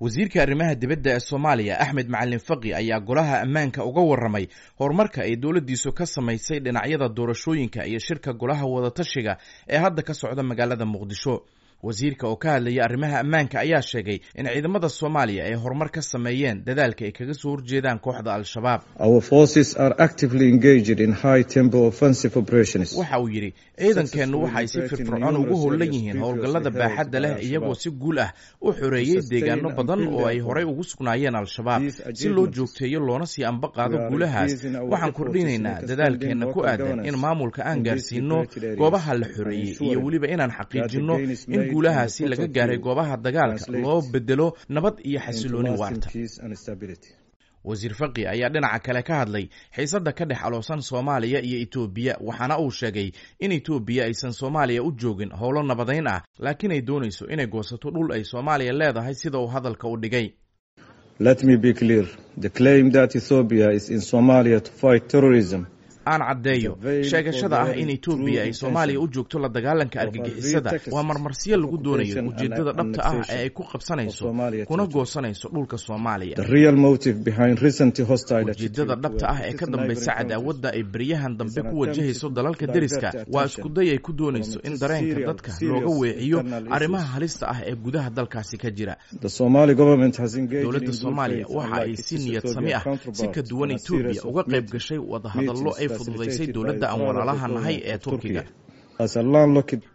Wasiirka arrimaha dibadda ee Soomaaliya, Axmed Macalin Faqi, ayaa golaha ammaanka uga warramay horumarka ay dowladdiisu ka samaysay dhinacyada doorashooyinka iyo shirka golaha wadatashiga ee hadda ka socda magaalada Muqdisho. Wasiirka oo ka hadlaya arrimaha ammaanka ayaa sheegay in ciidamada Soomaaliya ay horumar ka sameeyeen dadaalka ay kaga soo horjeedaan kooxda Al-Shabaab. Waxa uu yidhi, ciidankeennu waxa ay si firfircoon ugu howlan yihiin howlgallada baaxadda leh, iyagoo si guul ah u xoreeyey deegaano badan oo ay horey ugu sugnaayeen Al-Shabaab. Si loo joogteeyo loona sii amba qaado guulahaas, waxaan kordhinaynaa dadaalkeenna ku aadan in maamulka aan gaarsiino goobaha la xoreeyey iyo weliba inaan xaqiijinno in guulahaasi laga gaaray goobaha dagaalka loo bedelo nabad iyo xasilooni waarta. Wasiir Faqi ayaa dhinaca kale ka hadlay xiisadda ka dhex aloosan Soomaaliya iyo Itoobiya, waxaana uu sheegay in Itoobiya aysan Soomaaliya u joogin howlo nabadayn ah, laakiin ay doonayso inay goosato dhul ay Soomaaliya leedahay, sida uu hadalka u dhigay. Aan caddeeyo, sheegashada ah in Etoobiya ay Soomaaliya u joogto la dagaalanka argagixisada waa marmarsiyo lagu doonayo ujeeddada dhabta ah ee ay ku qabsanayso kuna goosanayso dhulka Soomaaliya. Ujeeddada dhabta ah ee ka dambaysa cadaawadda ay beryahan dambe ku wajahayso dalalka deriska waa iskuday ay ku doonayso in dareenka dadka looga weeciyo arrimaha halista ah ee gudaha dalkaasi ka jira. Dowladda Soomaaliya waxa ay si niyad sami ah, si ka duwan Etoobiya, uga qayb gashay wadahadallo ay fududaysay dowladda aan walaalaha nahay ee Turkiga.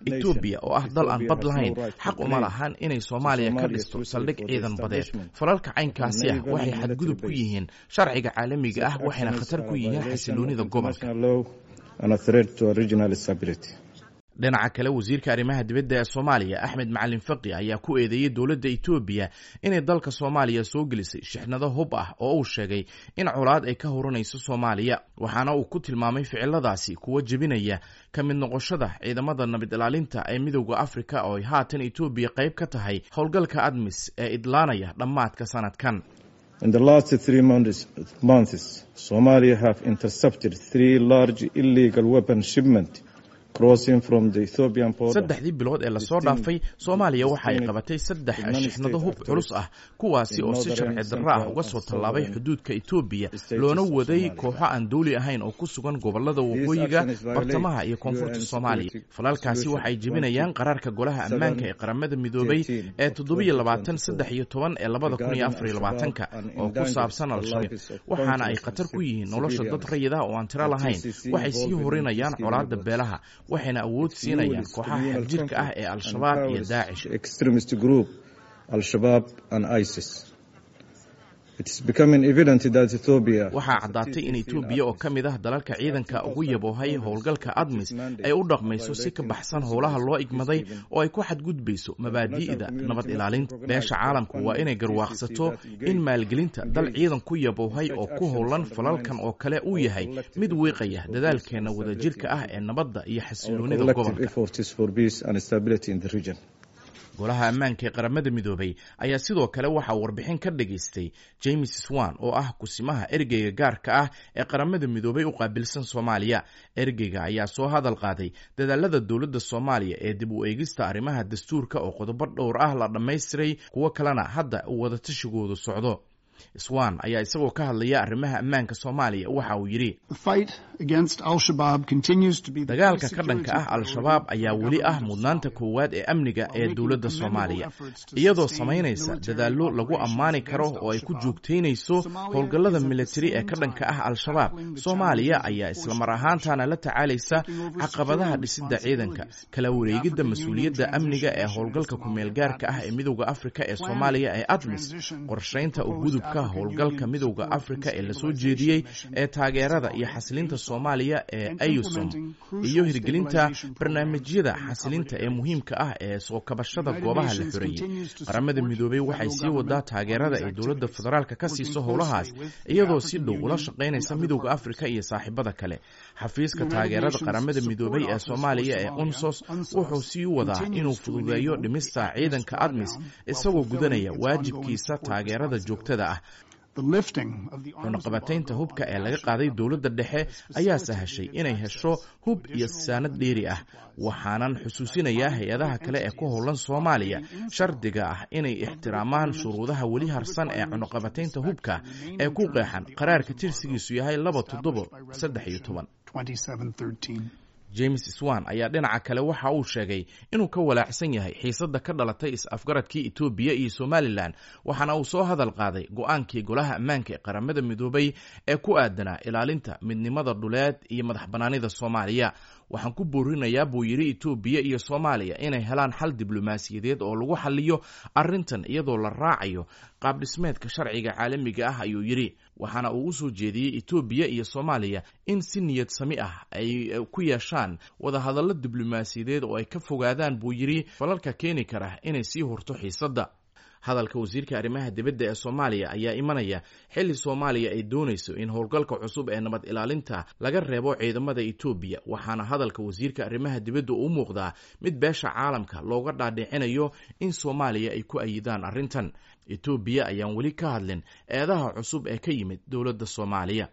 Etoobiya oo ah dal aan bad lahayn xaq uma lahan inay Soomaaliya ka dhisto saldhig ciidan badeed. Falalka caynkaasi ah waxay xadgudub ku yihiin sharciga caalamiga ah, waxayna khatar ku yihiin xasiloonida gobolka. Dhinaca kale, wasiirka arrimaha dibadda ee Soomaaliya, Axmed Macalin Faqi, ayaa ku eedeeyey dowladda Etoobiya inay dalka Soomaaliya soo gelisay shixnado hub ah oo uu sheegay in colaad ay ka horanayso Soomaaliya, waxaana uu ku tilmaamay ficiladaasi kuwa jebinaya ka mid noqoshada ciidamada nabad ilaalinta ee Midowda Afrika, oo ay haatan Etoobiya qayb ka tahay howlgalka ADMIS ee idlaanaya dhammaadka sanadkan. Saddexdii bilood ee lasoo dhaafay, Soomaaliya waxa ay qabatay saddex shixnado hub culus ah, kuwaasi oo si sharci darro ah uga soo tallaabay xuduudka Etoobiya, loona waday kooxo aan dawli ahayn oo ku sugan gobollada waqooyiga, bartamaha iyo koonfurta Soomaaliya. Falalkaasi waxay jebinayaan qaraarka golaha ammaanka ee Qaramada Midoobay ee 2713 ee 2024-ka oo ku saabsan Al-Shabaab, waxaana ay khatar ku yihiin nolosha dad rayid ah oo aan tiro lahayn. Waxay sii horinayaan colaadda beelaha, waxayna awood siinayaan kooxaha xagjirka ah ee Al-Shabaab iyo Daacish. Waxaa caddaatay in Etoobiya oo ka mid ah dalalka ciidanka ugu yaboohay howlgalka ADMIS ay u dhaqmayso si ka baxsan howlaha loo igmaday oo ay ku xadgudbayso mabaadi'da nabad ilaalinta. Beesha caalamku waa inay garwaaqsato in maalgelinta dal ciidan ku yaboohay oo ku howlan falalkan oo kale uu yahay mid wiiqaya dadaalkeenna wadajirka ah ee nabadda iyo xasiloonida gobolka. Golaha ammaanka ee Qaramada Midoobay ayaa sidoo kale waxaa warbixin ka dhageystay James Swan, oo ah kusimaha ergeyga gaarka ah ee Qaramada Midoobay u qaabilsan Soomaaliya. Ergeyga ayaa soo hadal qaaday dadaalada dowladda Soomaaliya ee dib u eegista arrimaha dastuurka, oo qodobo dhowr ah la dhammaystiray, kuwo kalena hadda uu wadatashigoodu socdo. Swan ayaa isagoo ka hadlaya arrimaha ammaanka Soomaaliya waxa uu yidhi, dagaalka ka dhanka ah Al-Shabaab ayaa weli ah mudnaanta koowaad ee amniga ee dowladda Soomaaliya, iyadoo samaynaysa dadaallo lagu ammaani karo oo ay ku joogtaynayso howlgallada militari ee ka dhanka ah Al-Shabaab. Soomaaliya ayaa islamar ahaantaana la tacaalaysa caqabadaha dhisidda ciidanka, kala wareegidda mas-uuliyadda amniga ee howlgalka kumeelgaarka ah ee Midowda Afrika ee Soomaaliya ee ADMIS, qorshaynta ugudubka howlgalka Midowda Afrika ee lasoo jeediyey ee taageerada iyo xasilinta Soomaaliya ee AYUSOM, iyo hirgelinta barnaamijyada xasilinta ee muhiimka ah ee soo kabashada goobaha la xoreeyey. Qaramada Midoobay waxay sii wadaa taageerada ay dowladda federaalka ka siiso howlahaas, iyadoo si dhow ula shaqaynaysa Midowda Afrika iyo saaxiibada kale. Xafiiska taageerada Qaramada Midoobay ee Soomaaliya ee UNSOS wuxuu sii wadaa inuu fududeeyo dhimista ciidanka ADMIS, isagoo gudanaya waajibkiisa taageerada joogtada ah. Cunaqabataynta hubka ee laga qaaday dowladda dhexe ayaa sahashay inay hesho hub iyo saanad dheeri ah. Waxaanan xusuusinayaa hay-adaha kale ee ku howlan Soomaaliya shardiga ah inay ixtiraamaan shuruudaha weli harsan ee cunaqabataynta hubka ee ku qeexan qaraarka tirsigiisu yahay 2713. James Swan ayaa dhinaca kale waxa uu sheegay inuu ka walaacsan yahay xiisadda ka dhalatay is-afgaradkii Itoobiya iyo Somalilan, waxaana uu soo hadal qaaday go-aankii Golaha Ammaanka ee Qaramada Midoobay ee ku aadanaa ilaalinta midnimada dhuleed iyo madax bannaanida Soomaaliya. Waxaan ku boorinayaa, buu yidhi, Itoobiya iyo Soomaaliya inay helaan xal diblomaasiyadeed oo lagu xaliyo arrintan iyadoo la raacayo qaabdhismeedka sharciga caalamiga ah, ayuu yidhi. Waxaana uu u soo jeediyey Itoobiya iyo Soomaaliya in si niyad sami ah ay ku yeeshaan wadahadallo diblomaasiyadeed oo ay ka fogaadaan, buu yidhi, falalka keeni kara inay sii hurto xiisadda. Hadalka wasiirka arrimaha dibadda ee Soomaaliya ayaa imanaya xilli Soomaaliya ay doonayso in howlgalka cusub ee nabad ilaalinta laga reebo ciidamada Itoobiya, waxaana hadalka wasiirka arrimaha dibadda u muuqdaa mid beesha caalamka looga dhaadhicinayo in Soomaaliya ay ku ayidaan arrintan. Itoobiya ayaan weli ka hadlin eedaha cusub ee ka yimid dowladda Soomaaliya.